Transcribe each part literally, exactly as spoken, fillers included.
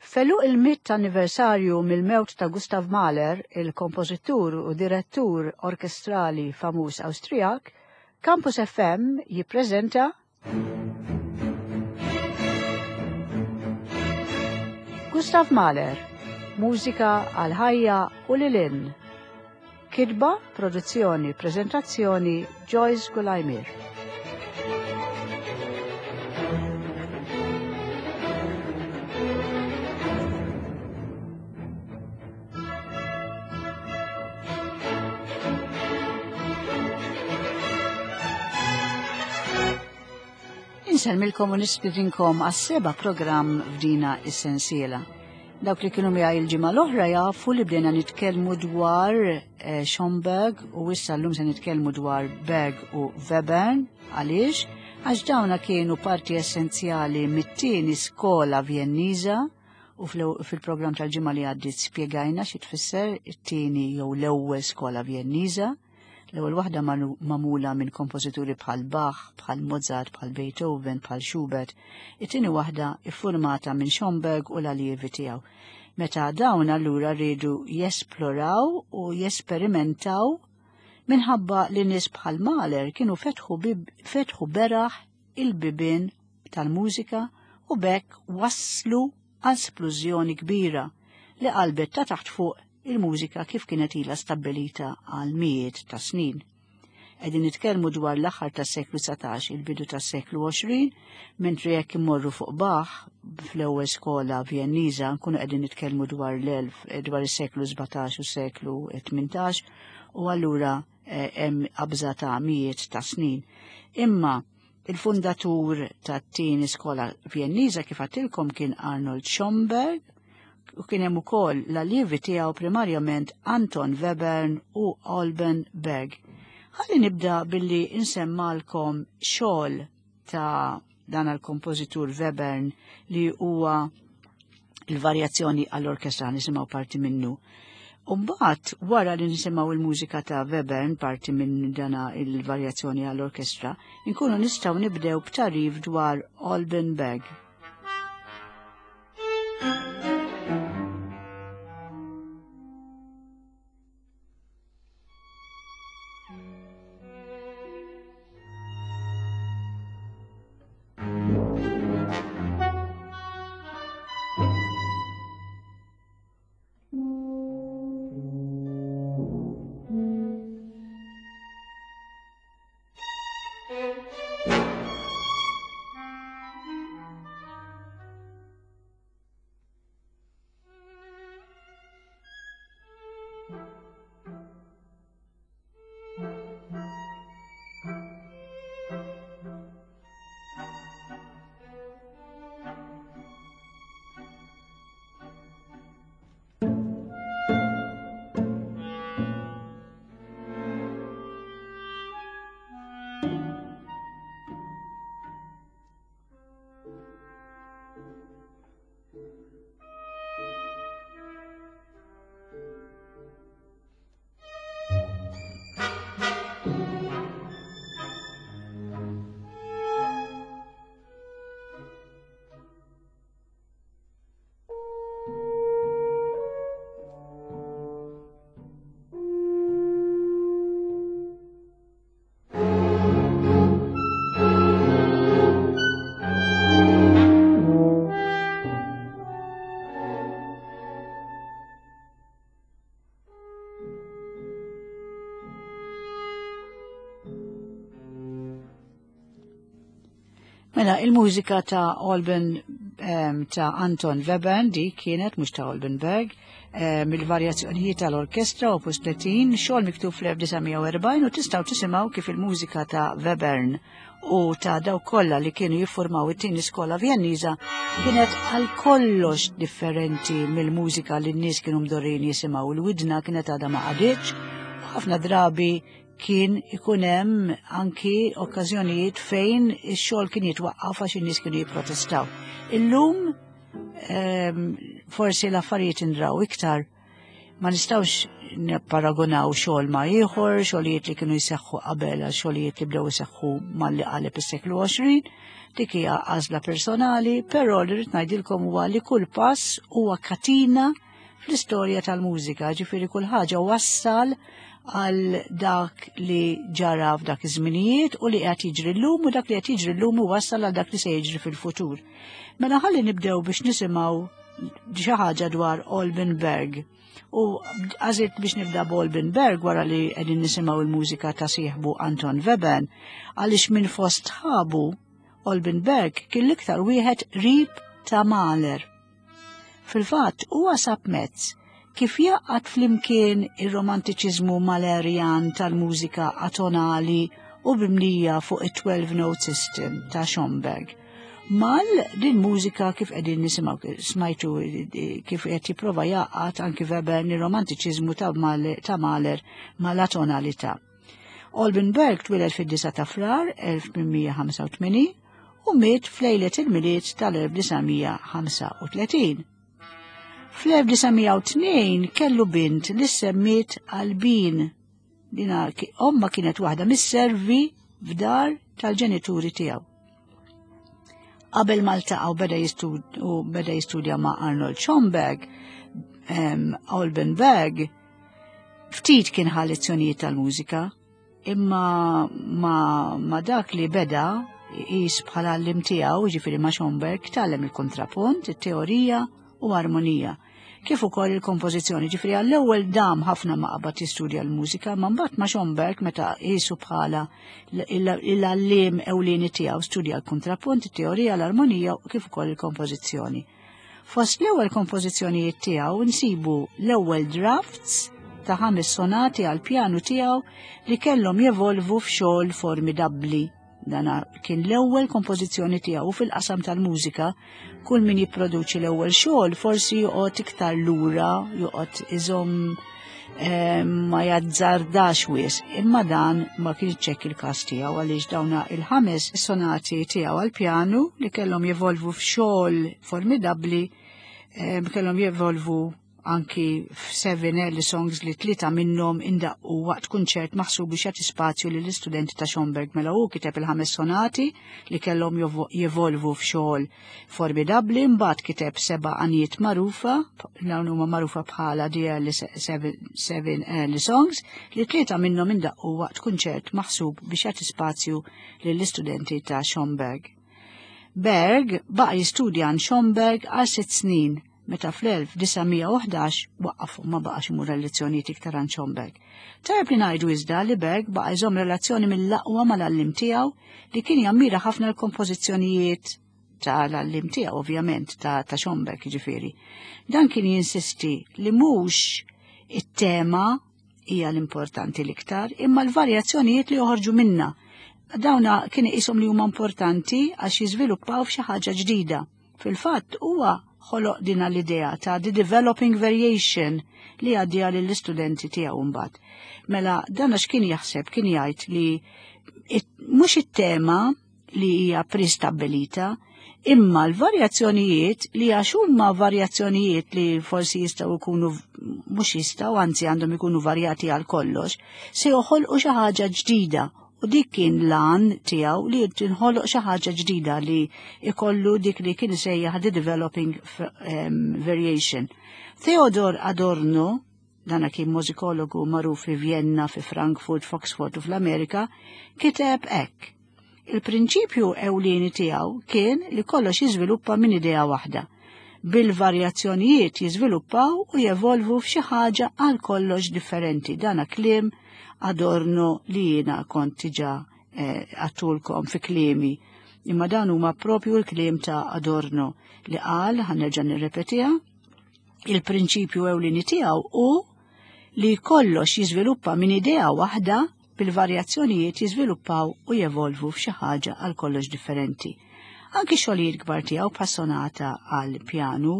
F'għeluq il-mitt anniversarju mill-mewt ta' Gustav Mahler, il-kompożitur u direttur orkestrali famuż Awstrijak, Campus F M jippreżenta Gustav Mahler, mużika għal ħajja u lil hinn. Kitba, produzzjoni, prezentazzjoni Joyce Gulajmir. Insellmilkom u nistedinkom għas-seba' programm f'dina is-sensiela. Dawk li kienu miegħi il-ġimgħa l-oħra jafu li bdejna nitkellmu dwar eh, Schoenberg u issa llum se nitkellmu dwar Berg u Webern. Għaliex? Għax dawna kienu parti essenzjali mit-tieni skola Vjenniża u fil-programm tal-ġimgħa li għaddiet spjegajna xi tfisser it-tieni jew l-ewwel skola Vjenniża. L-ewwel waħda magħmula minn kompożituri bħal Bach, bħal Mozart, bħal Beethoven, bħal Schubert. It-tieni waħda iffurmata minn Schoenberg u l-allievi tiegħu. Meta dawn allura rridu jesploraw u jesperimentaw minħabba li nies bħal Mahler kienu fetħu, fetħu beraħ il-bibien tal-mużika u b'hekk waslu għal splużjoni kbira li qalbet ta' taħt fuq il-mużika kif kienet ilha stabbilita għal mijiet ta' snin. Qegħdin nitkellmu dwar l-aħħar tas-seklu dsatax, il-bidu tas-seklu għoxrin, mentri jekk immorru fuq Bach fl-ewwel skola Vjenniża nkunu qegħdin nitkellmu dwar l-elf dwar is-seklu sbatax u s-seklu tmintax u allura eh, hemm qabża ta' mijiet ta' snin. Imma il-fundatur tat-tieni skola Vjenniża, kif għedtilkom, kien Arnold Schoenberg u kien hemm ukoll l-allievi tiegħu, primarjament Anton Webern u Alban Berg. Ħalli nibda billi insemmalkom xogħol ta' dan għal-kompożitur Webern li huwa il-varjazzjoni għall-orkestra, nisimgħu parti minnu. Umbagħad, wara li nisimgħu il-mużika ta' Webern, parti minn dana il-varjazzjoni għall-orkestra, inkunu nistgħu nibdew b'tagħrif dwar Alban Berg. Mela, il-mużika ta' Alban um, ta' Anton Webern di kienet, mhux ta' Alban Berg, um, il-varjazzjonijiet tal-orkestra opus tletin, xogħol miktub fl-elf disa' mija u erbgħin, u tistgħu tisimgħu kif il-mużika ta' Webern u ta' daw kollha li kienu jiffurmaw it-tieni skola Vjenniża kienet għal kollox differenti mill-mużika li n-nies kienu mdorrin jisimgħu. Il-widna kienet għadha ma qagħditx u ħafna drabi kien ikun hemm anki okkażjonijiet fejn ix-xogħol kien jitwaqqaf għax in-nies kienu jipprotestaw. Illum um, forsi l-affarijiet indraw iktar, ma nistgħux nipparagunaw xogħol ma' ieħor, xogħlijiet li kienu jseħħu qabel għal xogħlijiet li bdew iseħħu malli qaleb is-seklu għoxrin, dik hija għażla personali, però li rrid ngħidilkom huwa li kull pass huwa katina fl-istorja tal-mużika, ġifieri kull ħaġa wassal għal dak li ġara f'dak iż-żminijiet u li qed jiġri llum u dak li qed jiġri llum wassal għal dak li se jiġri fil-futur. Mela ħalli nibdew biex nisimgħu xi ħaġa dwar Alban Berg. U għażilt biex nibda b'Alban Berg wara li qegħdin nisimgħu il-mużika ta' sieħbu Anton Webern, għaliex minn fost sħabu Alban Berg kien l-iktar wieħed qrib ta' Mahler. Fil-fatt huwa sab mezz kif jgħaqqad flimkien ir-romantiċiżmu Mahlerian tal-mużika atonali u mibnija fuq it-twelve note system ta' Schoenberg. Mal din mużika kif qegħdin nisimgħu, smajtu kif qed jipprova jgħaqqad anki Webern ir-romantiċiżmu ta' Mahler mal-atonalità. Alban Berg twieled fid-disgħa ta' Frar elf tmien mija ħamsa u tmenin u miet f'lejlet il-Milied tal-elf disa' mija ħamsa u tletin. Fl-elf disa' mija u tnejn kellu bint li semmiet Albin. Dina omma kienet waħda mis-servi f'dar tal-ġenituri tiegħu. Qabel ma ltaqa' u beda u beda jistudja ma' Arnold Schoenberg, um, Alban Berg ftit kien ħa lezzjonijiet tal-mużika, imma ma, ma dak li beda jqis bħala l-għalliem tiegħu, ġifieri ma' Schoenberg, tgħallem il-kontrapunt, it-teorija u armonija, kif ukoll il-kompożizzjoni. Ġifieri għall-ewwel dam ħafna ma qabad jistudja l-mużika, ma mbagħad ma' Schoenberg, meta qisu bħala l-għalliem ewlieni tiegħu, studja l-kontrapunt, it-teorija, l-armonija u kif ukoll il-kompożizzjoni. Fost l-ewwel kompożizzjonijiet tiegħu nsibu l-ewwel drafts ta' ħames sonati għal pjanu tiegħu li kellhom jevolvu f'xogħol formidabbli. Dana kien l-ewwel kompożizzjoni tiegħu. Fil-qasam tal-mużika, kull min jipproduċi l-ewwel xogħol forsi joqgħod iktar lura, joqgħod iżomm, eh, ma jazzardax wisq, imma dan ma kienx hekk il-każ tiegħu, għaliex dawna il-ħames sonati tiegħu għal pjanu li kellhom jevolvu f'xogħol formidabbli, eh, kellhom jevolvu anki f'seven early songs li tlieta minnhom indaqqu waqt kunċert maħsub biex jagħti spazju lill istudenti ta' Schoenberg. Mela hu kiteb il-ħames sonati li kellhom jevolvu f'xogħol formidabbli, mbagħad kiteb seba' għanjiet magħrufa, dawn huma magħrufa bħala the early seven, seven early songs, li tlieta minnhom indaqqu waqt kunċert maħsub biex jagħti spazju lill-istudenti ta' Schoenberg. Berg baqa' jistudja għand Schoenberg għal sitt snin meta fl-elf disa' mija u ħdax waqaf u ma baqax imur lezzjonijiet iktar għand Schoenberg. Tajjeb li ngħidu iżda li Berg baqa' jżomm relazzjoni mill-aqwa mal-għalliem tiegħu, li kien jammira ħafna l-kompożizzjonijiet tal-għalliem tiegħu, ovvjament ta', ta Schoenberg ġifieri. Dan kien jinsisti li mhux it-tema hija l-importanti l-iktar, imma l-varjazzjonijiet li joħorġu minna. Dawna kien iqishom li huma importanti għax jiżviluppaw f'xi ħaġa ġdida. Fil-fatt huwa ħoloq dina l-idea ta' the developing variation li għaddieha lill-istudenti tiegħu mbagħad. Mela dan għax kien jaħseb, kien jgħid li mhux it-tema li hija prestabbilita, imma l-varjazzjonijiet, li għax huma varjazzjonijiet li forsi jistgħu jkunu, mhux jistgħu, anzi għandhom ikunu varjati għal kollox, se joħolqu xi ħaġa ġdida, u dik kien l-għan tiegħu, li tinħoloq xi ħaġa ġdida, li ikollu dik li kien sejjaħ the developing variation. Theodor Adorno, dana kien mużikologu magħruf fi Vienna, fi Frankfurt, f'Oxford u fl-Amerika, kiteb hekk: "Il-prinċipju ewlieni tiegħu kien li kollox jiżviluppa minn idea waħda, bil-varjazzjonijiet jiżviluppaw u jevolvu f'xi ħaġa għal kollox differenti." Dana kliem Adorno li jiena kont diġà eh, għedtulkom fi kliemi. Imma dan huma propju l-kliem ta' Adorno li qal, ħa nerġa' nirrepetiha, il-prinċipju ewlieni tiegħu hu li kollox jiżviluppa minn idea waħda, bil-varjazzjonijiet jiżviluppaw u jevolvu f'xi ħaġa għal kollox differenti. Anki xogħlijiet kbar tiegħu bħas-sonata għal pjanu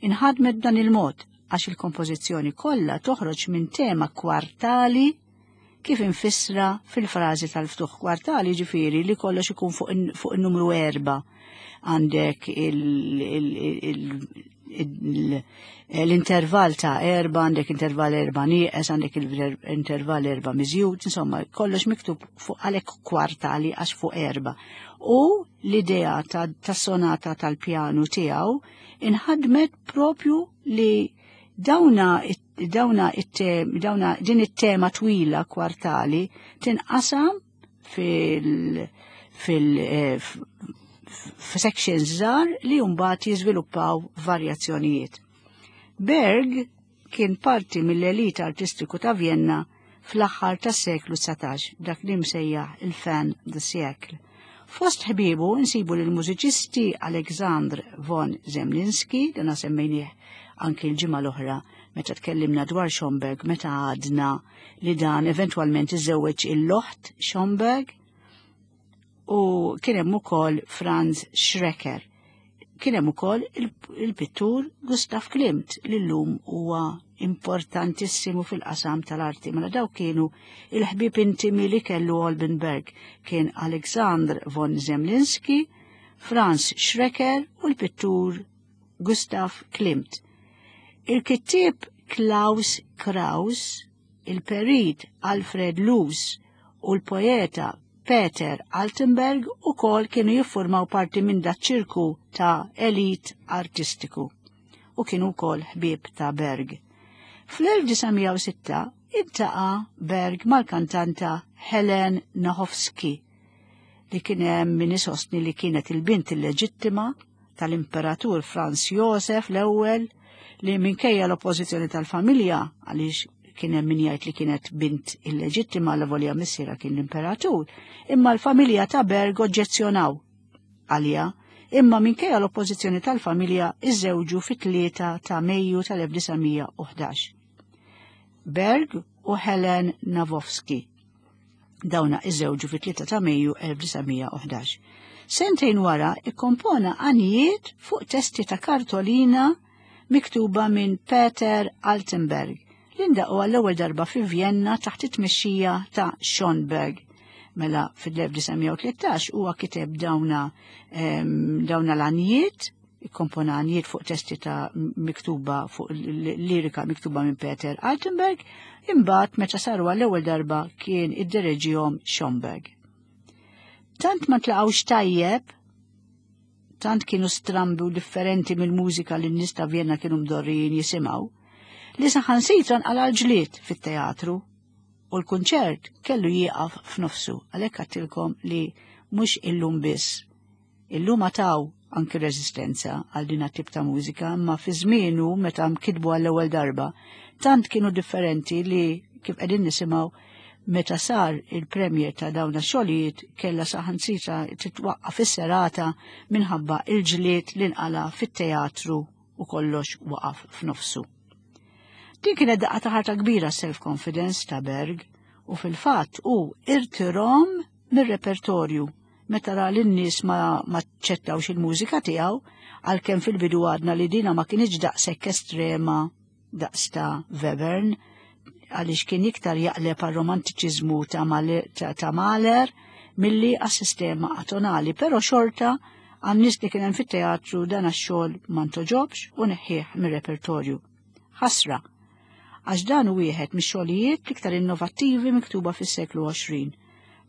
inħadmet dan il-mod, għax il-kompożizzjoni kollha toħroġ minn tema kwartali kif infissra fil-frażi tal-ftuħ. Kwartali ġifieri li kollox ikun fuq in-numru erba'. Għandek l-intervall ta' erba, għandek intervall erba nieqes, għandek intervall erba miżjud, insomma, kollox miktub fuq, għalhekk kwartali għax fuq erba. U l-idea ta', ta sonata tal-pjanu tiegħu inħadmet propju li dawna dawna dawna din it-tema twila kwartali tinqasam fil fil eh, f'sections żgħar li mbagħad jiżviluppaw varjazzjonijiet. Berg kien parti mill-elit artistiku ta' Vienna fl-aħħar tas-seklu dsatax, dak li msejjaħ il-fin de siècle. Fost ħbiebu nsibu lil mużiċisti Alexandr von Zemlinsky, dana semmejnieh anki l-ġimgħa l-oħra meta tkellimna dwar Schomberg, meta għadna li dan eventwalment iżewweġ il-loħt Schomberg, u kien hemm ukoll Franz Schreker. Kien hemm ukoll il-pittur Gustav Klimt li llum huwa importantissimu fil-qasam tal-arti. Mela daw kienu il-ħbieb intimi li kellu Alban Berg, kien Alexandr von Zemlinsky, Franz Schreker u l-pittur Gustav Klimt. Il-kittieb Klaus Kraus, il-perit Alfred Luz u l-poeta Peter Altenberg u kol kienu jiffurmaw parti minn dat ċirku ta' elit artistiku u kienu kol ħbieb ta' Berg. fl-elf disa' mija u sitta iltaqa' Berg mal-kantanta Helen Nahowski li kien hemm min isostni li kienet il-bint illeġittima tal-Imperatur Franz Josef l-ewwel, li minkejja l-oppożizzjoni tal-familja, għaliex kien hemm min jgħid li kienet bint illeġittima la volja missiera kien l-imperatur, imma l-familja ta' Berg oġġezzjonaw għalija, imma minkejja l-oppożizzjoni tal-familja iżżewġu fit-tlieta ta' Mejju tal-elf disa' mija u ħdax. Berg u Helen Navowski. Dawna iżżewġu fit-tlieta ta' Mejju elf disa' mija u ħdax. Sentejn wara ikkompona għanijiet fuq testi ta' kartolina miktuba minn Peter Altenberg, li ndaqgħu għall-ewwel darba fi Vienna taħt it-tmexxija ta' Schönberg. Mela fil-elf disa' mija u tlettax huwa kiteb dawna, ehm, dawna l-għanijiet, ikkompona għanijiet fuq testi ta' miktuba fuq lirika miktuba minn Peter Altenberg, imbagħad meta saru għall-ewwel darba kien iddereġihom Schönberg. Tant ma tlaqgħux tajjeb, tant kienu strambi u differenti mill-mużika li n-nies ta' Vienna kienu mdorrijin jisimgħu, li saħansitra nqala' l-ġlied fit-teatru u l-kunċert kellu jieqaf f'nofsu. Għalhekk għattilkom li mhux illum biss. Illum għataw anki reżistenza għal din tip ta' mużika, imma fi żmienu meta mkitbu għall-ewwel darba, tant kienu differenti li kif qegħdin nisimgħu meta sar il-premier ta' dawn ix-xogħlijiet kellha saħansitra titwaqqaf fis-serata minħabba il-ġlied li nqala' fit-teatru u kollox waqaf f'nofsu. Din kienet daqqa ta' ħarta kbira self-confidence ta' Berg u fil-fatt hu irtirom mir-repertorju meta ra li n-nies ma, ma ċettawx il-mużika tiegħu, għalkemm fil-bidu għadna li dina ma kienx daqshekk estrema daqs ta' Webern, għaliex kien iktar jaqleb għal romantiċiżmu ta' Male-, ta', ta' Mahler milli għas-sistema atonali, però xorta għan-nies li kien hemm fit-teatru dan għax-xogħol ma ntoġobx u neħħieħ mir-repertorju. Ħasra, għax dan hu wieħed mix-xogħlijiet l-iktar innovattivi miktuba fis-seklu għoxrin,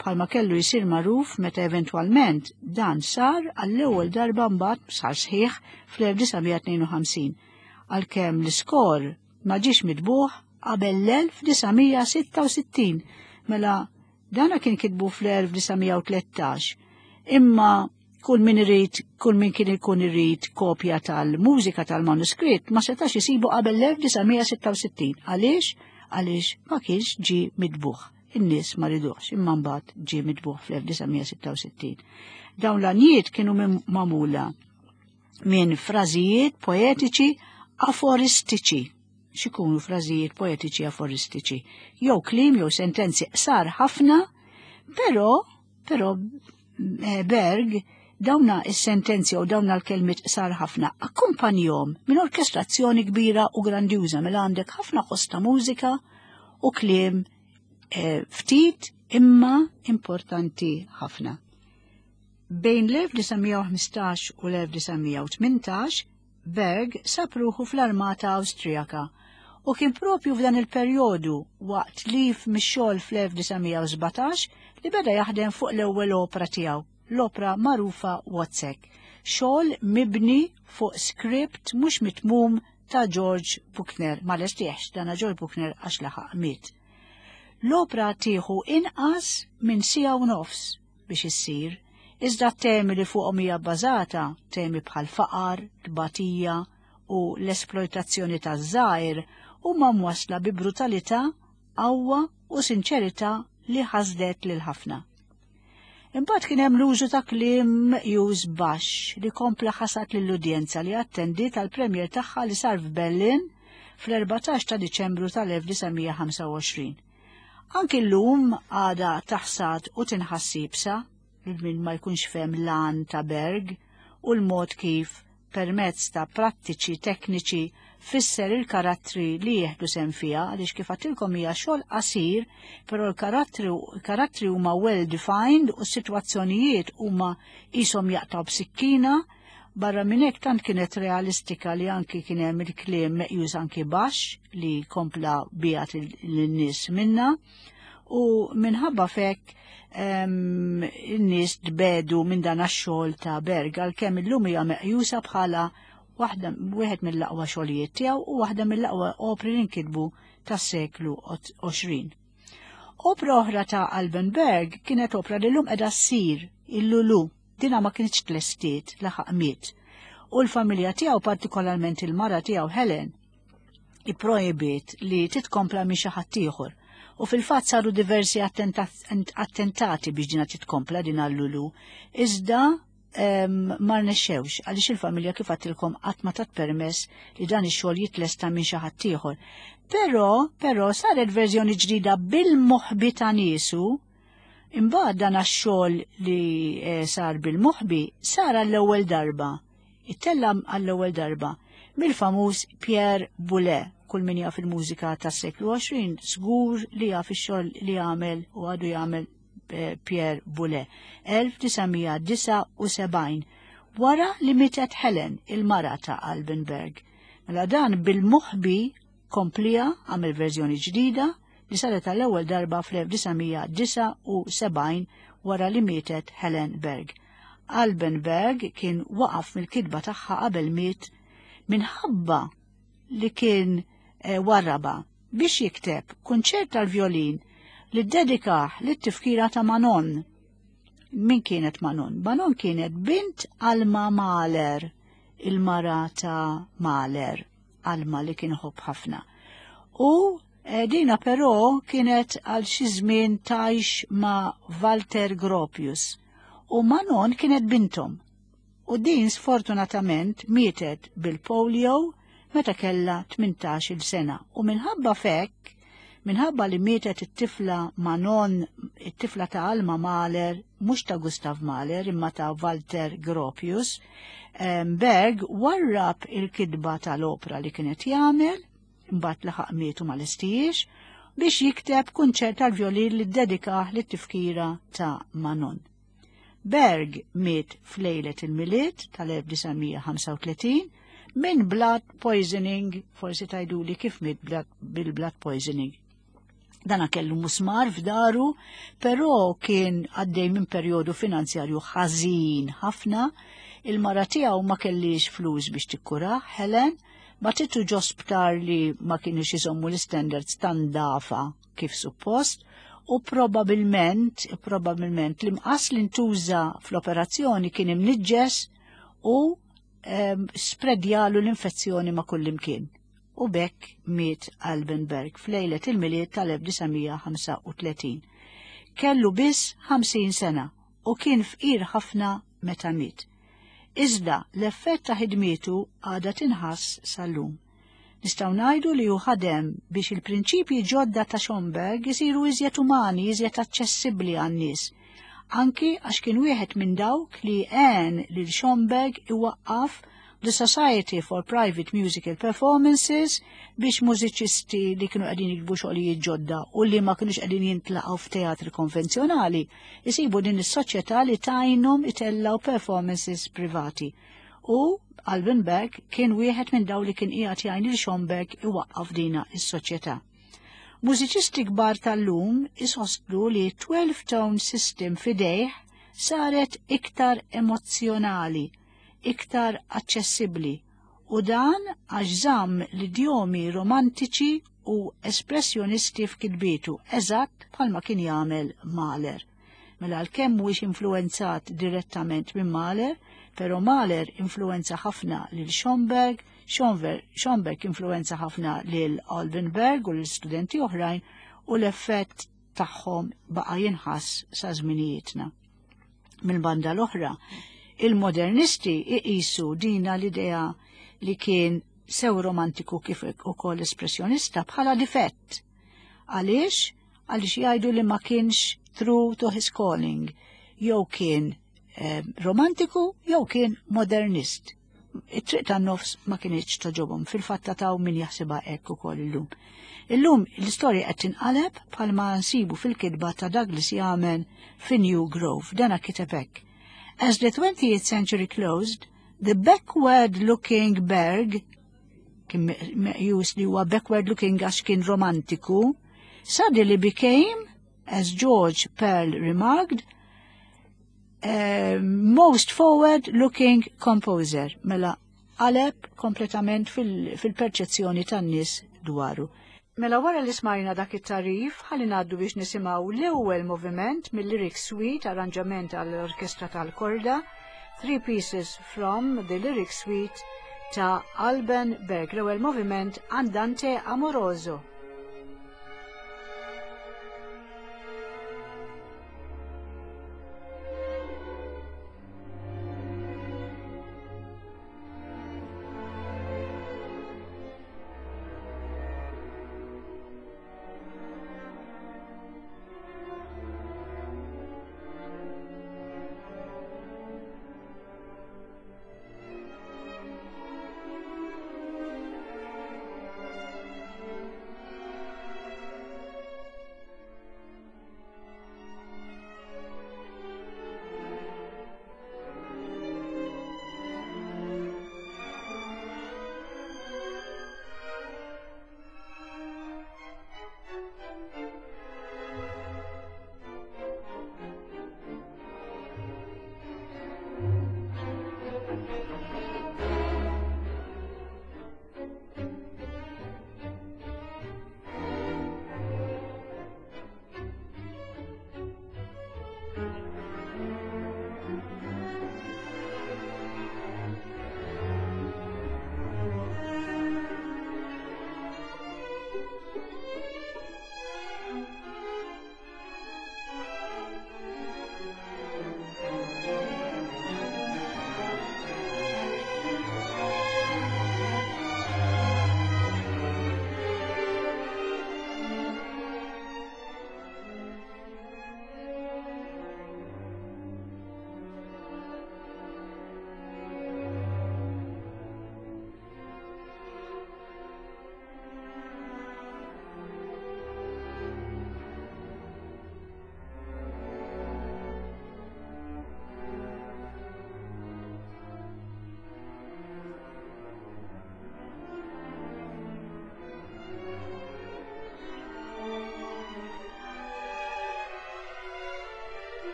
bħalma kellu jsir magħruf meta eventwalment dan sar għall-ewwel darba mbagħad sar sħiħ fl-elf disa' mija tnejn u ħamsin, għalkemm l-iskor ma ġiex mitbuħ qabel l-elf disa' mija sitta u sittin, mela dana kien kitbu fl-elf disa' mija u tlettax, imma kull min irid, kull min kien ikun irid kopja tal-mużika tal-manuskritt ma setax isibu qabel l-elf disa' mija sitta u sittin. Għaliex? Għaliex ma kienx ġie mitbuħ. In-nies ma riduhx, imma mbagħad ġie mitbuħ fl-elf disa' mija sitta u sittin. Dawn l-għanjiet kienu minn magħmula minn frażijiet poetiċi aforistiċi. X'ikunu frażijiet poetiċi aforistiċi? Jew kliem jew sentenzi qsar ħafna, però, però, eh, Berg dawna is-sentenzi u dawna l-kelmiet qsar ħafna akkumpanjhom minn orkestrazzjoni kbira u grandjuża, mela għandek ħafna ħoss ta' mużika u kliem, eh, ftit imma importanti ħafna. Bejn l-elf disa' mija u ħmistax u l-elf disa' mija u tmintax, Berg sab ruħu fl-armata Awstrijaka u kien propju f'dan il-perjodu waqt leave mix-xogħol fl-elf disa' mija u sbatax li beda jaħdem fuq l-ewwel opra tiegħu, l-opra magħrufa Wozzeck, xogħol mibni fuq script mhux mitmum ta' George Buchner, ma lestiex dana George Buchner għax laħaq miet. L-opra tieħu inqas minn siegħa u nofs biex issir, iżda temi li fuqhom hija bbażata, temi bħal faqar, tbatija u l-esploitazzjoni taż-żgħir, huma mwasla bi brutalità, qawwa u sinċerità li ħasdet lil ħafna. Imbagħad kien hemm l-użu ta' kliem meqjus baxx li kompla ħasad lill-udjenza li attendiet għal premiere tagħha li sar f'Berlin fl-erbatax ta' Diċembru tal-elf disa' mija ħamsa u għoxrin. Anki llum għada taħsad u tinħass iebsa lil min ma jkunx fehem l-għan ta' Berg u l-mod kif permezz ta' prattiċi tekniċi fisser il-karattri li jieħdu sehem fiha, għaliex kif għedtilkom hija xogħol qasir, però l-karattri karattri huma well defined u s-sitwazzjonijiet huma qishom jaqtaw b'sikkina. Barra minn hekk, tant kienet realistika li anki kien hemm il-kliem meqjus anki baxx li kompla biegħed lin-nies minna u minħabba f'hekk in-nies tbiegħdu minn dan għax-xogħol ta' Berg, għalkemm illum hija meqjusa bħala waħda wieħed mill-aqwa xogħlijiet tiegħu u waħda mill-aqwa opri li nkitbu tas-seklu għoxrin. Opra oħra ta' Alban Berg kienet opra li llum qiegħda ssir, il-Lulu. Dina ma kienx tlestiet laħaq miet. U l-familja tiegħu, partikolarment il-mara tiegħu Helen, ipprojbiet li titkompla minn xi ħadd ieħor. U fil-fatt saru diversi attentati biex dina titkompla, din għal-Lulu. Iżda ma rnexxewx għaliex il-familja, kif għedtilkom, qatt ma tat permess li dan ix-xogħol jitlesta minn xi ħadd ieħor. Però, però saret verżjoni ġdida bil-moħbi ta' niesu. Imbagħad dan għax-xogħol li eh, sar bil-moħbi sar għall-ewwel darba. Ittella għall-ewwel darba mill-famuż Pierre Boulez. Kull min jaf il-mużika tas-seklu għoxrin żgur li jaf ix-xogħol li għamel u għadu jagħmel eh, Pierre Boulez. elf disa' mija disgħa u sebgħin, wara li mietet Helen, il-mara ta' Alban Berg. Mela dan bil-moħbi komplieha, għamel verżjoni ġdida li saret għall-ewwel darba fl-elf disa' mija disgħa u sebgħin wara li mietet Helen Berg. Alban Berg kien waqaf mill-kitba tagħha qabel miet minħabba li kien eh, warraba biex jikteb kunċert tal-violin li ddedikah lit-tifkira ta' Manon. Min kienet Manon? Manon kienet bint Alma Mahler, il-mara ta' Mahler, Alma li kien iħobb ħafna. U eh, dina però kienet għal xi żmien tgħix ma' Walter Gropius u Manon kienet bintom. U din sfortunatament mietet bil-polio meta kella tmintax-il sena. U minħabba f'hekk, minħabba li mietet it-tifla Manon, it-tifla ta' Alma Mahler, mhux ta' Gustav Mahler, imma ta' Walter Gropius, Berg warrab il-kitba tal-opra li kienet jagħmel, imbagħad laħaq mietu ma lestihiex, biex jikteb kunċert tal-violin li ddedikah lit-tifkira ta' Manon. Berg miet f'lejlet il-Milied tal-elf disa' mija ħamsa u tletin minn blood poisoning. Forsi tgħiduli kif miet bil-blood poisoning. Dana kellu musmar f'daru, però kien għaddej minn perjodu finanzjarju ħażin ħafna, il-mara tiegħu ma kellix flus biex tikkura, Helen, bagħtitu ġo sptar li ma kienux iżommu l-standards tan-ndafa kif suppost, u probabilment, probabilment l-imqas li ntuża fl-operazzjoni kien imniġġes u um, spredjalu l-infezzjoni ma' kullimkien. U b'hekk miet Alban Berg f'lejlet il-Milied tal-elf disa' mija ħamsa u tletin. Kellu biss ħamsin sena u kien fqir ħafna meta miet. Iżda l-effett ta' ħidmietu għada tinħass sal-lum. Nistgħu ngħidu li hu ħadem biex il-prinċipji ġodda ta' Schoenberg isiru iżjed umani, iżjed aċċessibbli għan-nies. Anki għax kien wieħed minn dawk li għen lil Schoenberg iwaqqaf the Society for Private Musical Performances biex mużiċisti li kienu qegħdin jiktbu xogħlijiet ġodda u li ma kienux qegħdin jintlaqgħu f'teatri konvenzjonali jisibu din is-soċjetà li tgħinhom itellaw performances privati. U Alban Berg kien wieħed minn daw li kien qiegħed jgħin lil Schomberg iwaqqaf dina is-soċjetà. Mużiċisti kbar tal-lum isostnu li twelve tone system f'idejh saret iktar emozzjonali, iktar aċċessibbli, u dan għax żamm l-idjomi romantiċi u espressjonisti f'kitbietu, eżatt bħalma kien jagħmel Mahler. Mela għalkemm mhuwiex influenzat direttament minn Mahler, però Mahler influenza ħafna lil Schomberg, Schomberg influenza ħafna lil Alban Berg u lil studenti oħrajn, u l-effett tagħhom baqa' jinħass sa żminijietna. Mill-banda l-oħra, il-modernisti iqisu dina l-idea li kien sew romantiku kif ukoll espressjonista bħala difett. Għaliex? Għaliex jgħidu li ma kienx true to his calling, jew kien eh, romantiku jew kien modernist. It-triq tan-nofs ma kinitx togħġobhom, fil-fatt taw min jaħsibha hekk ukoll illum. Illum l-istorja qed tinqaleb, bħalma nsibu fil-kitba ta' Douglas Yaman fi New Grove. Dana kiteb hekk: "As the twentieth century closed, the backward-looking Berg," kien meqjus li huwa backward-looking għax kien romantiku, "suddenly became, as George Pearl remarked, uh, most forward-looking composer." Mela qaleb kompletament fil-perċezzjoni tan-nies dwaru. Mela wara li smajna dak it-tagħrif, ħalli ngħaddu biex nisimgħu l-ewwel moviment mill-Lyric Suite, arranġament għall-orkestra tal-korda, Three Pieces from the Lyric Suite ta' Alban Berg, l-ewwel moviment, Andante Amoroso.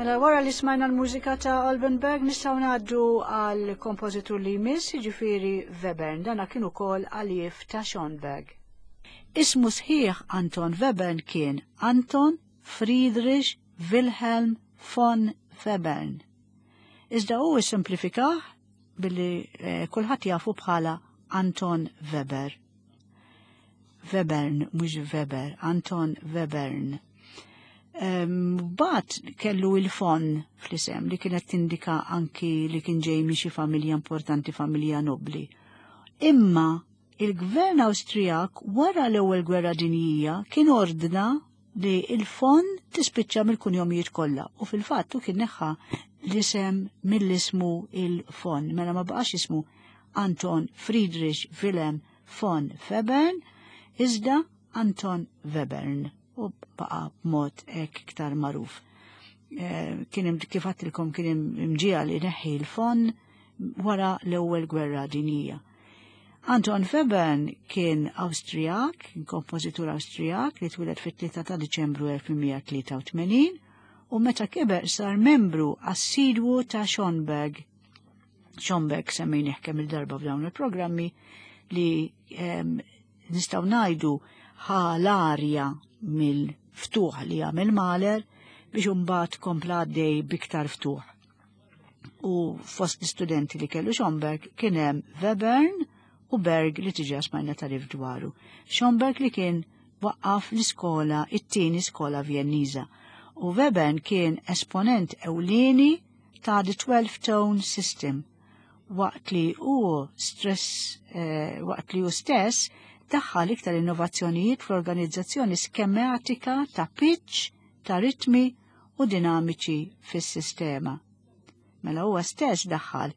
Mela wara li smajna l-mużika ta' Alban Berg nistgħu ngħaddu għal kompożitur li jmiss, jiġifieri Webern, dana kien ukoll għaliev ta' Schoenberg. Ismu sħiħ Anton Webern kien Anton Friedrich Wilhelm von Webern. Iżda hu simplifikah billi eh, kulħadd jafu bħala Anton Weber. Webern, mhux Weber, Anton Webern. Bat kellu il-von fl-isem li kienet tindika anki li kien ġej minn xi familja importanti, familja nobli. Imma il-gvern Awstrijak wara l-ewwel gwerra dinjija kien ordna li il-von tispiċċa mill-kunjomijiet kollha u fil-fatt kien neħħa l-isem mill-ismu il-von. Mela ma baqax ismu Anton Friedrich Wilhelm von Webern, iżda Anton Webern u baqa b'mod hekk iktar magħruf. Eh, kien kif għedtilkom kien imġiegħel li neħħi l-von wara l-ewwel gwerra dinjija. Anton Webern kien Awstrijak, kien kompożitur Awstrijak li twieled fit-tlieta ta' Diċembru elf tmien mija tlieta u tmenin u meta kiber sar membru assidwu ta' Schoenberg. Schoenberg semmejnih kemm il-darba f'dawn il-programmi li nistgħu ngħidu ħa l-arja mill-ftuħ li għamel Mahler biex imbagħad kompla għaddej biktar ftuħ. U fost l-istudenti li kellu Schoenberg kien hemm Webern u Berg li diġà smajna tarif dwaru. Schoenberg li kien waqqaf l-iskola, it-tieni skola Vjenniża. U Webern kien esponent ewlieni ta' the twelve tone system waqt li hu stress eh, waqt li hu stess daħħal iktar innovazzjonijiet fl-organizzazzjoni skematika ta' pitch, ta' ritmi u dinamiċi fis-sistema. Mela huwa stess daħħal,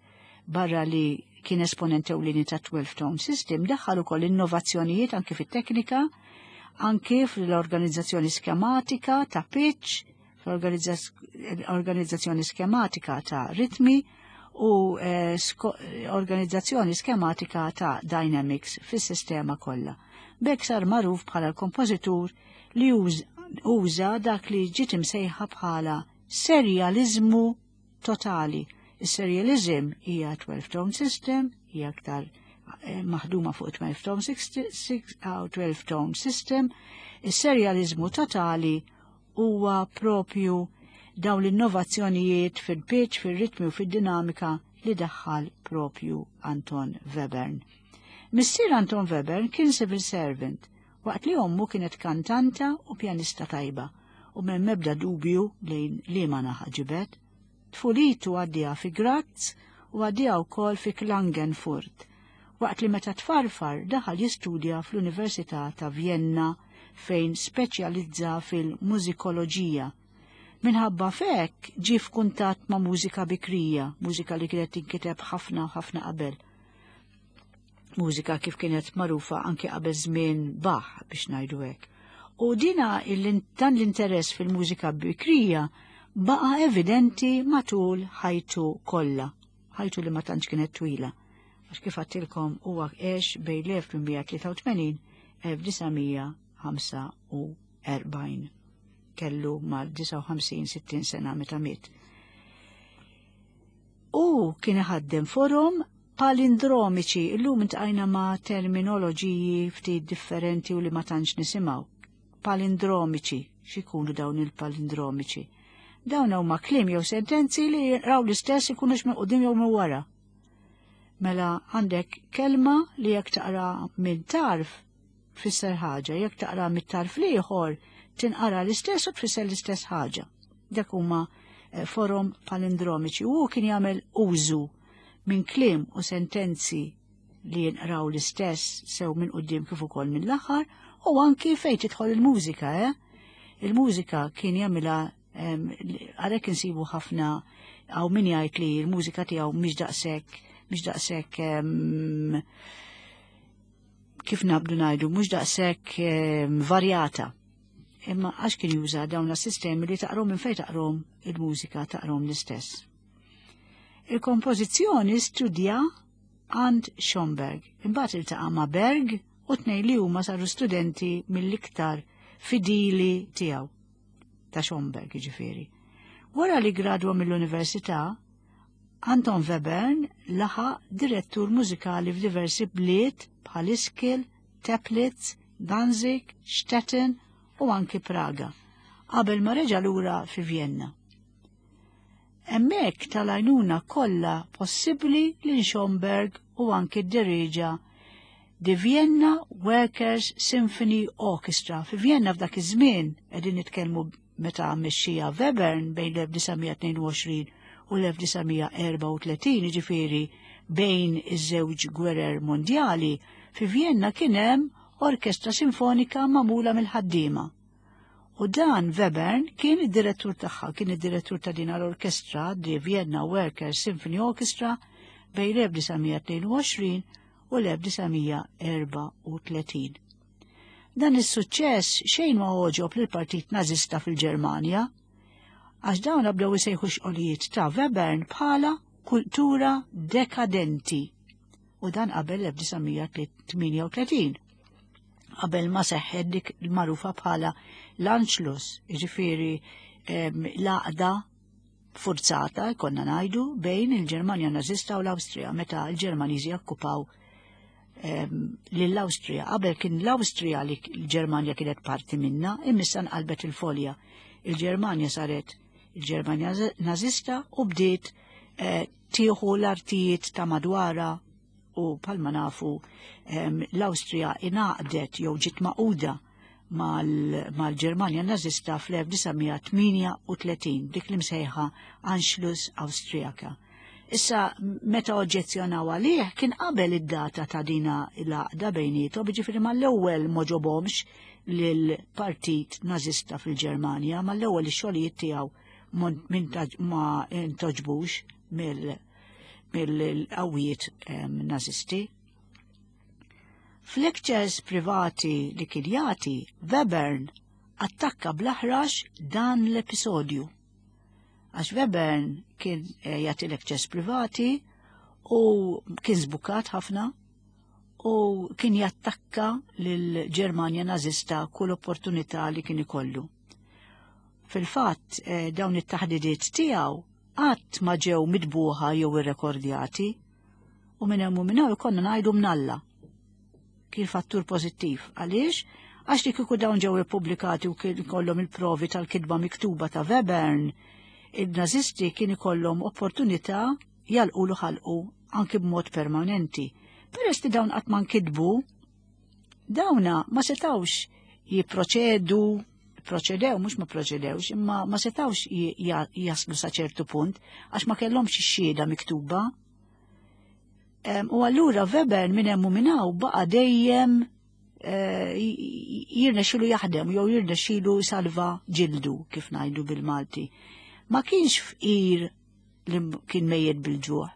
barra li kien esponent ewlieni ta' twelve tone system, daħħal ukoll innovazzjonijiet anki fit-teknika, anki fl-organizzazzjoni skematika ta' pitch, fl-organizzazzjoni skematika ta' ritmi u eh, organizzazzjoni skematika ta' dynamics fis-sistema kollha. B'hekk sar magħruf bħala l-kompożitur li uża dak li ġiet imsejħa bħala serializmu totali. Is-serializm hija twelve tone system, hija aktar eh, maħduma fuq twelve tone system. Is-serializmu totali huwa propju dawn l-innovazzjonijiet fil-pitch, fil-ritmi u fil-dinamika li daħħal propju Anton Webern. Missier Anton Webern kien civil servant, waqt li ommu kienet kantanta u pjanista tajba, u m'hemm ebda dubju lejn liema naħa ġibet. Tfulitu għaddieha fi Graz u għaddieha wkoll fi Klagenfurt, waqt li meta tfarfar daħal jistudja fl-Università ta' Vienna fejn speċjalizza fil-mużikoloġija. Minħabba f'hekk ġie f'kuntatt ma' mużika bikrija, mużika li kienet tinkiteb ħafna u ħafna qabel. Mużika kif kienet magħrufa anke qabel żmien Bach, biex ngħidu hekk. U dina dan l-interess fil-mużika bikrija baqa evidenti matul ħajtu kollha, ħajtu li ma tantx kienet twila. Għax kif għedtilkom huwa għex bejn l-elf tmien mija tlieta u tmenin elf disa' mija ħamsa u erbgħin, kellu mal-disgħa u ħamsin sittin sena meta miet. U kien iħaddem forom palindromiċi. Illum iltqajna ma' terminoloġiji ftit differenti u li ma tantx nisimgħu. Palindromiċi, x'ikunu dawn il-palindromiċi? Dawn huma kliem jew sentenzi li raw l-istess ikunux minn quddiem jew minn wara. Mela għandek kelma li jekk taqra minn tarf tfisser ħaġa, jekk taqra mit-tarf l-ieħor tinqara l-istess u tfisser l-istess ħaġa. Dak huma eh, forom palindromiċi u kien jagħmel użu minn kliem u sentenzi li jinqraw l-istess sew minn quddiem kif ukoll minn l-aħħar u anki fejn tidħol il-mużika, eh? Il-mużika kien jagħmilha, għalhekk insibu ħafna hawn min jgħid li l-mużika tiegħu mhix daqshekk mhix daqshekk, kif nabdu ngħidu, mhux daqshekk varjata, imma għax kien juża dawn sistemi li taqrom minn fejn taqrom il-mużika taqrom l-istess. Il-kompożizzjoni studja għand Schoenberg, imbagħad iltaqa' ma' Berg u tnejn li huma saru studenti mill-iktar fidili tiegħu, ta' Schoenberg jiġifieri. Wara li gradwa mill-università, Anton Webern laħaq direttur mużikali f'diversi bliet bħal Ischl, Teplitz, Danzig, Stettin u anki Praga, qabel ma reġa' lura fi Vienna. Hemmhekk tal-għajnuna kollha possibbli lil Schönberg u anki ddirieġa The Vienna Workers Symphony Orchestra. Fi Vienna f'dak iż-żmien qegħdin nitkellmu meta mexxija Webern bejn l-elf disa' mija tnejn u għoxrin u l-elf disa' mija erbgħa u tletin, jiġifieri bejn iż-żewġ gwerer mondjali, fi Vienna kien hemm orkestra sinfonika magħmula mill-ħaddiema. U dan Webern kien id-direttur tagħha, kien id-direttur ta' din l-orkestra, The Vienna Workers Symphony Orchestra, bejn l-elf disa' mija tnejn u għoxrin u l-elf disa' mija erbgħa u tletin. Dan is-suċċess xejn ma għoġob lill-Partit Nażista fil-Ġermanja, għax dawn bdew isejħu xogħlijiet ta' Webern bħala kultura dekadenti. U dan qabel l-elf disa' mija tmienja u tletin. Qabel ma seħħet dik il-magħrufa bħala l-Anschluss, jiġifieri l-għaqda forzata, konna ngħidu, bejn il-Ġermanja Nażista u l-Awstrija, meta l-Ġermaniżi okkupaw lill-Awstrija. Qabel kien l-Awstrija li l-Ġermanja kienet parti minna, imma issa nqalbet il-folja. Il-Ġermanja saret il-Ġermanja Nażista u bdiet eh, tieħu l-artijiet ta' madwara u bħalma nafu l-Awstrija ingħaqdet jew ġiet magħquda mal-Ġermanja Nażista fl-elf disa' mija tmienja u tletin, dik li msejħa Anschluss Awstrijaka. Issa, meta oġġezzjonaw għalih, kien qabel id-data ta' dina l-għaqda bejniethom, jiġifieri mal-ewwel m'għoġobhomx lill-Partit Nażista fil-Ġermanja, mal-ewwel ix-xogħlijiet tiegħu ma ntgħoġbux mill-qawwiet nazisti. F'lectures privati li kien jagħti, Webern attakka bl-aħrax dan l-episodju. Għax Webern kien eh, jagħti lectures privati u kien żbukat ħafna u kien jattakka lill-Ġermanja Nażista kull opportunità li kien ikollu. Fil-fatt, eh, dawn it-taħdidiet tiegħu qatt ma ġew mitbuħa jew irrekordjati u minn hemm u minn hawn konna ngħidu mnalla. Kien fattur pożittiv. Għaliex? Għax li kieku dawn ġew ippubblikati u kien ikollhom il-provi tal-kitba miktuba ta' Webern, il-Nazisti kien ikollhom opportunità jagħlqulu ħalqu anki b'mod permanenti. Peress li dawn qatt ma nkitbu, dawna ma setawx jipproċedu, proċedew, mhux ma proċedewx, imma ma setawx jaslu sa ċertu punt, għax ma kellhomx ix-xhieda miktuba. U allura Webern minn hemm u minn hawn baqa' dejjem eh, jirnexxilu jaħdem jew jirnexxilu salva ġildu, kif ngħidu bil-Malti. Ma kienx fqir li kien mejjet bil-ġuħ,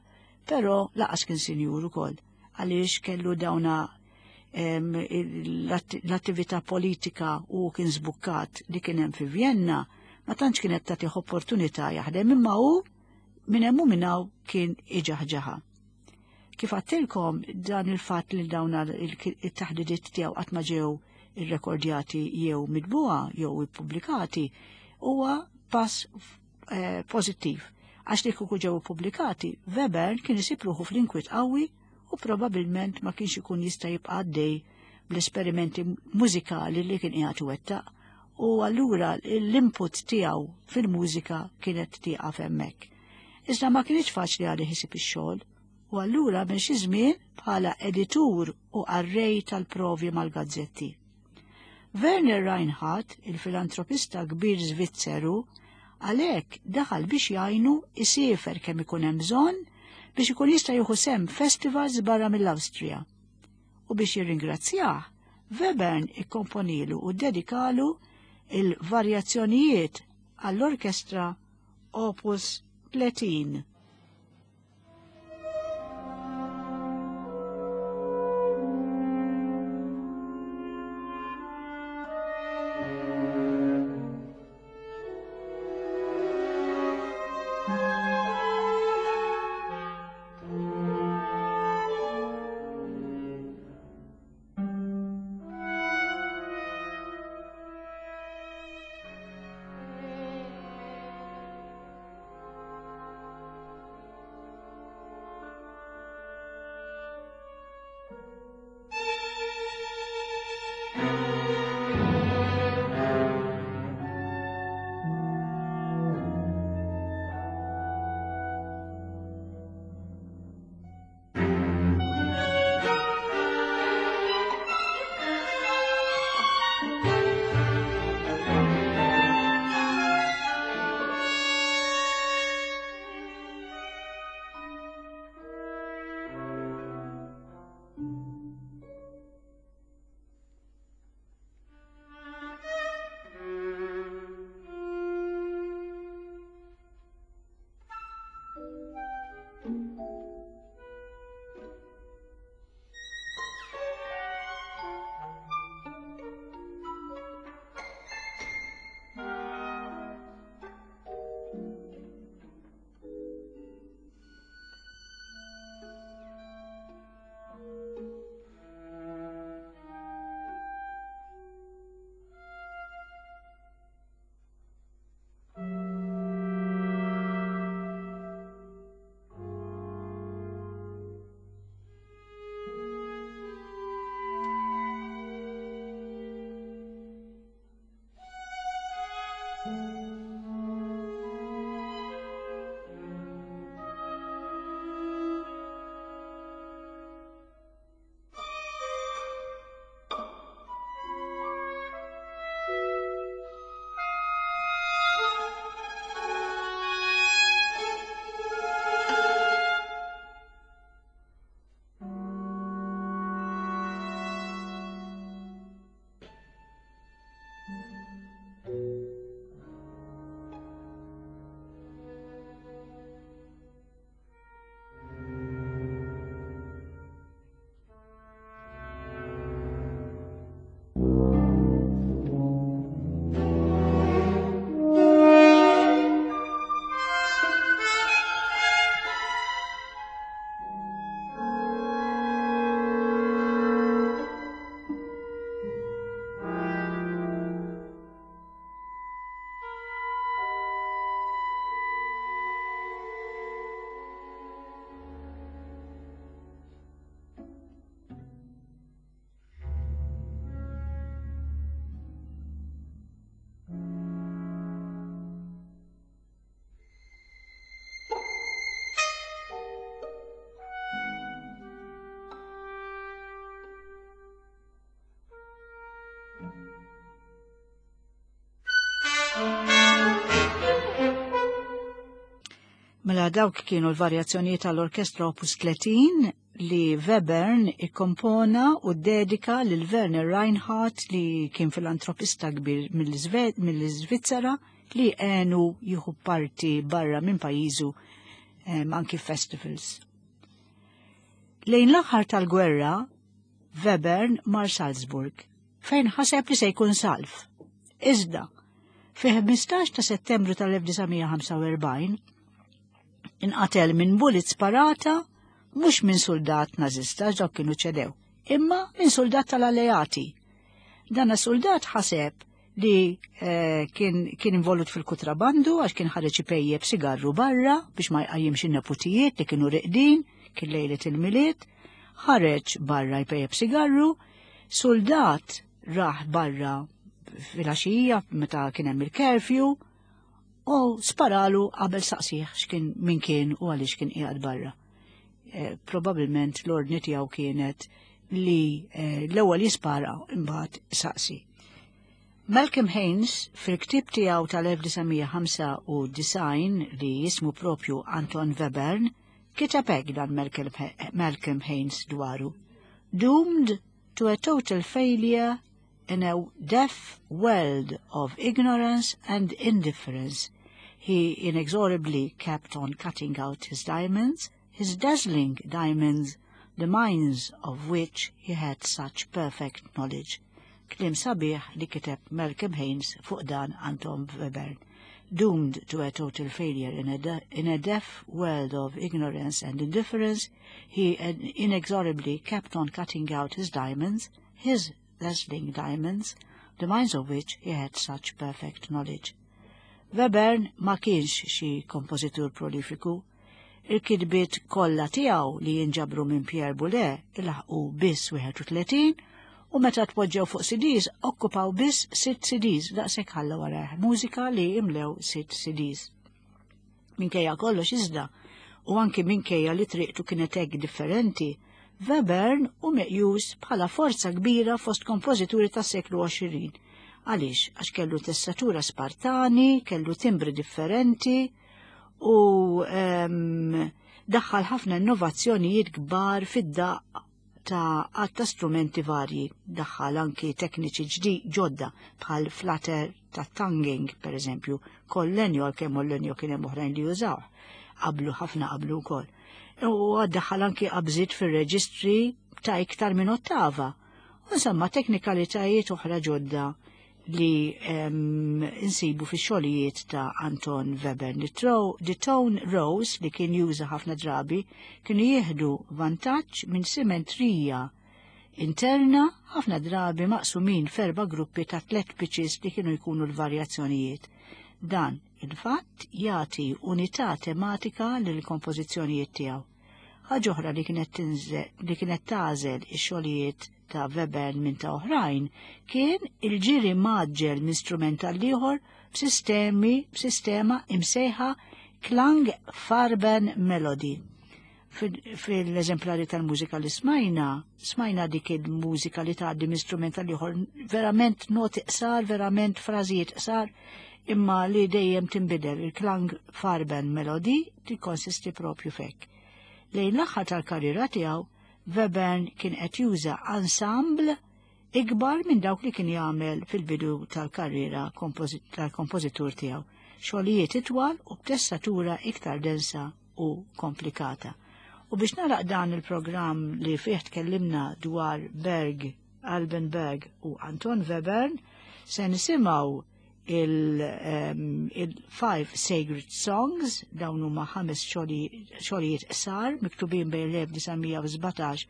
però lanqas kien sinjur ukoll, għaliex kellu dawna l-attività politika u kien żbukkat li kien hemm fi Vienna, ma tantx kienet tagħtih opportunità jaħdem, imma hu minn hemm u minn hawn kien iġaħġaħa. Kif għedtilkom, dan il-fatt li dawn it-taħdidiet tiegħu qatt ma ġew irrekordjati jew mitbuha jew ippubblikati huwa pass eh, pożittiv. Għax li kieku ġew ippubblikati, Weber kien isib ruħu fl-inkwiet qawwi u probabilment ma kienx ikun jista' jibqa' għaddej bl-esperimenti mużikali li kien qiegħed iwettaq u allura l-input tiegħu fil-mużika kienet tieqaf hemmhekk. Iżda ma kienx faċli għalih isib ix-xogħol u allura minn xi żmien bħala editur u qarrej tal-provi mal-gazzetti. Werner Reinhardt, il-filantropista kbir Svizzeru, għalhekk daħal biex jgħinu isiefer kemm ikun hemm bżonn biex ikun jista' jieħu sehem festivals barra mill-Awstrija. U biex jirringrazzjah, Webern ikkomponilu u dedikalu il-varjazzjonijiet għall-orkestra Opus tletin. Mela dawk kienu l-varjazzjonijiet tal-orkestra Opus tletin li Webern ikkompona u dedika lil Werner Reinhardt li kien filantropista kbir mill-Iżvizzera li għenu jieħu parti barra minn pajjiżu anki festivals. Lejn l-aħħar tal-gwerra, Webern mar Salzburg, fejn ħaseb li se jkun salv. Iżda, fi ħmistax ta' Settembru tal-elf disa' mija ħamsa u erbgħin, inqatel minn bullet sparata mhux minn soldat nażista, dawk kienu ċedew, imma minn soldat tal-alleati. Dan soldat ħaseb li, eh, kien, kien involut fil-kutrabandu għax kien ħareġ ipejjeb sigarru barra biex ma jqajjimx in-neputijiet li kienu riqdin, kien lejlet il-Milied, ħareġ barra jpejjeb sigarru, soldat raħ barra fil-għaxija meta kien hemm il-curfew u sparalu qabel saqsih x'kien min kien u għaliex kien qiegħed barra. Eh, probabilment l-ordni tiegħu kienet li, eh, l-ewwel jispara imbagħad saqsi. Malcolm Haynes fil-ktieb tiegħu tal-elf disa' mija ħamsa u disgħin li jismu propju Anton Webern kiteb hekk dan Malcolm He-, Malcolm Haynes dwaru. Doomed to a total failure in a deaf world of ignorance and indifference, he inexorably kept on cutting out his diamonds, his dazzling diamonds, the mines of which he had such perfect knowledge. Kliem sabiħ li kiteb Malcolm Haynes fuq dan Anton Webern. Doomed to a total failure in a, de-, in a deaf world of ignorance and indifference, he inexorably kept on cutting out his diamonds, his dazzling diamonds, the mines of which he had such perfect knowledge. Webern ma kienx xi kompożitur prolifiku. Il-kitbiet kollha tiegħu li jinġabru minn Pierre Boulez ilaħqu biss wieħed u tletin u meta tpoġġew fuq C Ds okkupaw biss sitt C Ds, daqshekk ħalla warajh mużika li imlew sitt C Ds. Minkejja kollox iżda, u anki minkejja li triqtu kienet hekk differenti, Webern hu meqjus bħala forza kbira fost kompożituri tas-seklu għoxrin. Għaliex? Għax kellu tessatura Spartani, kellu timbri differenti u, ehm, daħħal ħafna innovazzjonijiet kbar fid-daqq ta' għadd ta' strumenti varji. Daħħal anki tekniċi ġdi ġodda bħal flutter ta' tonguing, per eżempju, kol-lenjo, għalkemm l-lenjo kien hemm oħrajn li jużaw, qablu ħafna qablu wkoll. U daħħal anki qabżiet fir-reġistri ta' iktar minn ottava. U insomma teknikalitajiet oħra ġodda li, ehm, insibu fix-xogħlijiet ta' Anton Webern. The tro-, the tone rows li kien juża ħafna drabi kienu jieħdu vantaġġ minn simetrija interna ħafna drabi maqsumin f'erba' gruppi ta' tliet pitches li kienu jkunu l-varjazzjonijiet. Dan il-fatt jagħti unità tematika lill-kompożizzjonijiet tiegħu. Ħaġa oħra li kienet tinżel, li kienet tagħżel ix-xogħlijiet ta' Webern minn ta' oħrajn kien il-ġiri maġġel minn strument għal ieħor b'sistemi, b'sistema imsejħa Klangfarben Melody. Fil-, fil-eżemplari tal-mużika li smajna, smajna dik il-mużika li tgħaddi minn strument għal ieħor verament noti qsar, verament frażijiet qsar, imma li dejjem tinbidel. Il-Klangfarben Melody tikkonsisti propju f'hekk. Lejn l-aħħar tal-karriera tiegħu, Webern kien qed juża ensemble ikbar minn dawk li kien jagħmel fil-bidu tal-karriera kompozi-, tal-kompożitur tiegħu. Xogħlijiet itwal u b'tessatura iktar densa u komplikata. U biex naraq dan il-programm li fih tkellimna dwar Berg, Alban Berg u Anton Webern, se nisimgħu il, ehm, il-Five Sacred Songs, dawn huma ħames xogħli-, xogħlijiet qsar miktubin bejn l-elf disa' mija u sbatax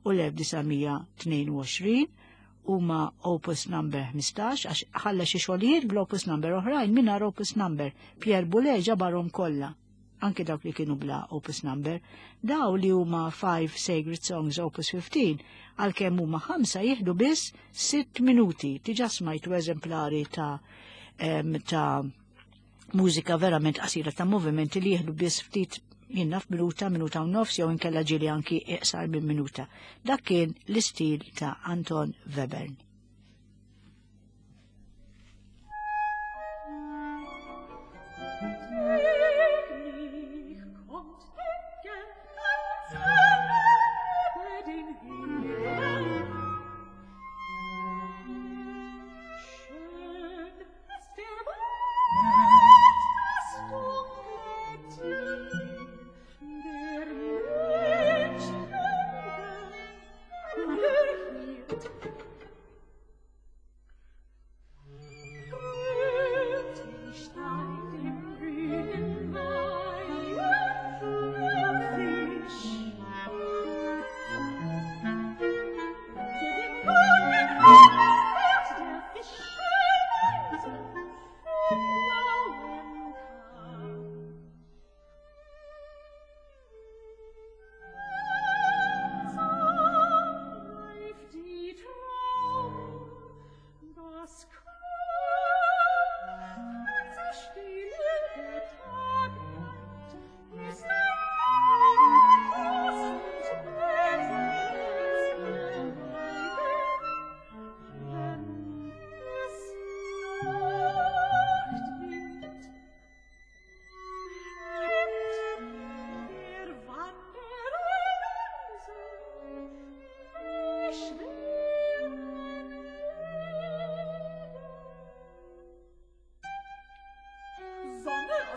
u l-elf disa' mija tnejn u għoxrin, huma opus number ħmistax, għax ħalla xi xogħlijiet bl-opus number oħrajn mingħajr opus number. Pierre Boulez ġabarhom kollha, anke dawk li kienu bla opus number. Daw li huma Five Sacred Songs opus fifteen, għalkemm huma ħamsa jieħdu biss sitt minuti. Diġà smajtu eżemplari ta', em, ta' mużika verament qasira ta' movimenti li jieħdu biss ftit jinnaf minuta, minuta u nofs, jew inkella ġieli anki iqsar minn minuta. Dak kien l-istil ta' Anton Webern. Take me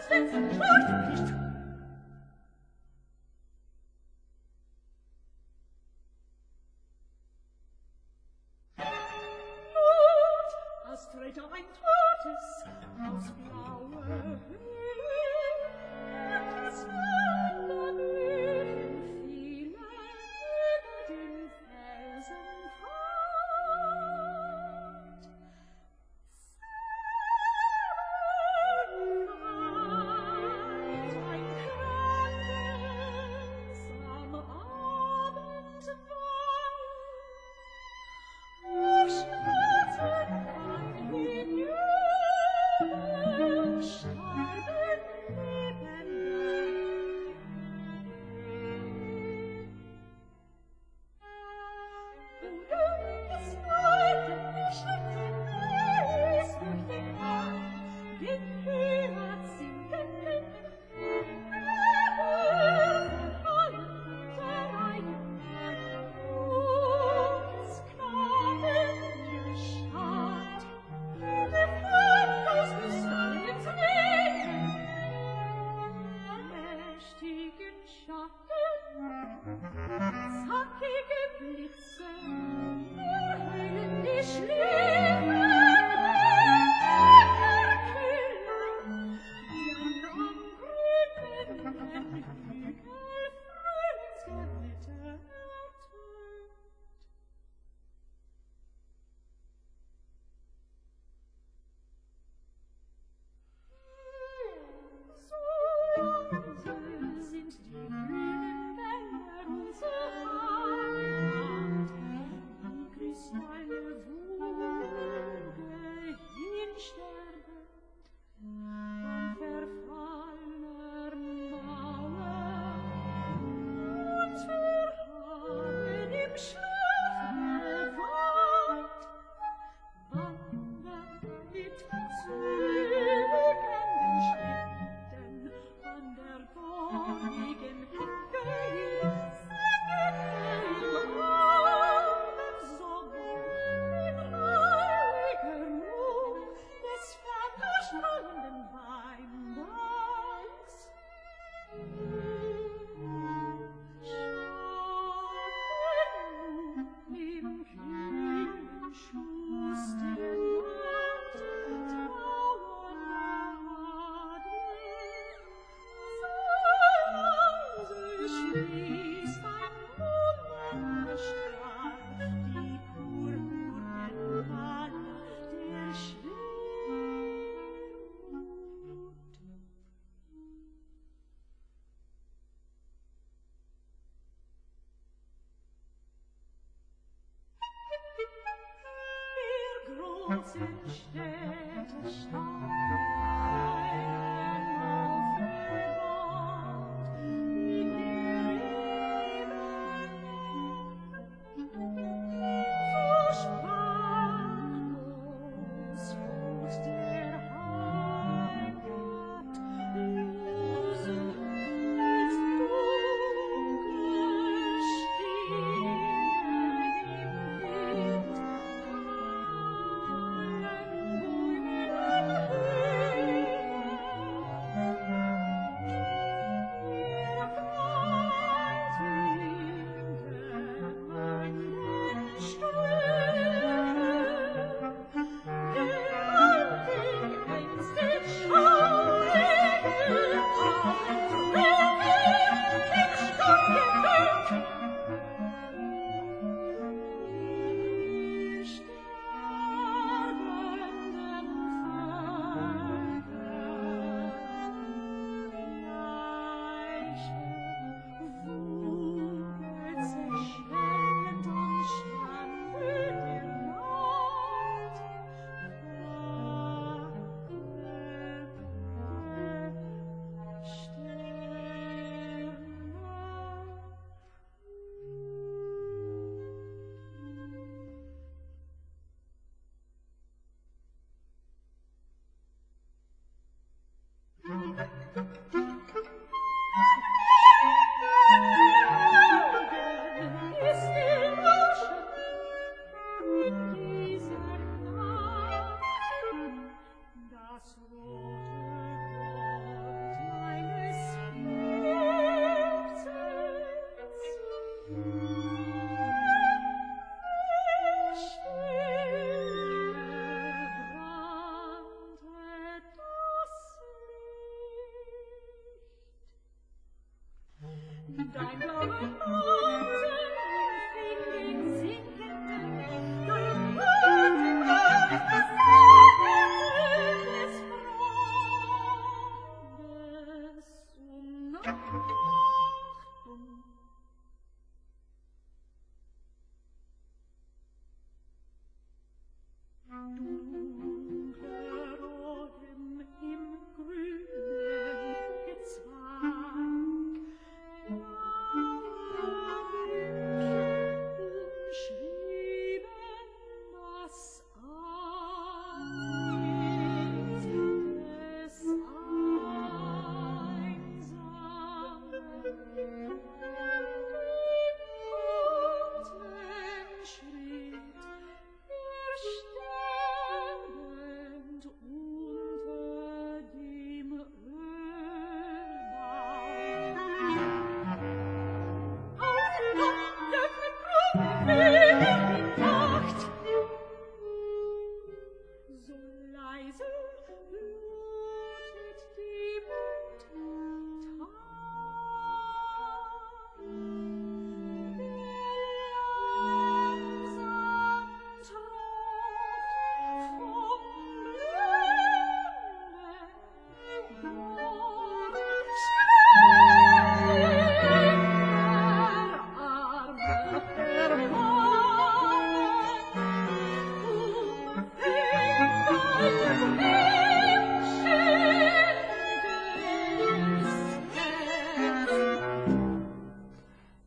Thank you.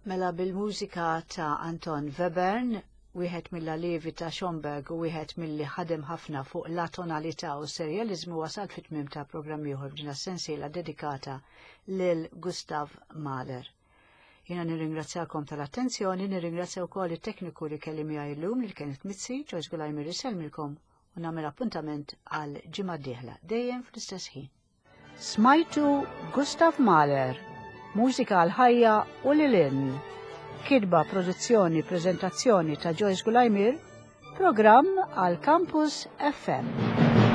Mela bil-mużika ta' Anton Webern, wieħed mill-allievi ta' Schoenberg u wieħed milli ħadem ħafna fuq la tonalità u serjaliżmu, wasal fit-tmiem ta' programm ieħor f'din sensiela dedikata lil Gustav Mahler. Jiena nirringrazzjakom tal-attenzjoni, nirringrazzja wkoll it-tekniku li kelli miegħi llum li kienet Mizzi, Joyce Gulajmir isellmilkom u nagħmel appuntament għal ġimgħa d-dieħla dejjem fl-istess ħin. Smajtu Gustav Mahler, mużika għal ħajja u lilin. Kitba, produzzjoni, prezentazzjoni ta' Joyce Gulajmir, programm għal Campus F M.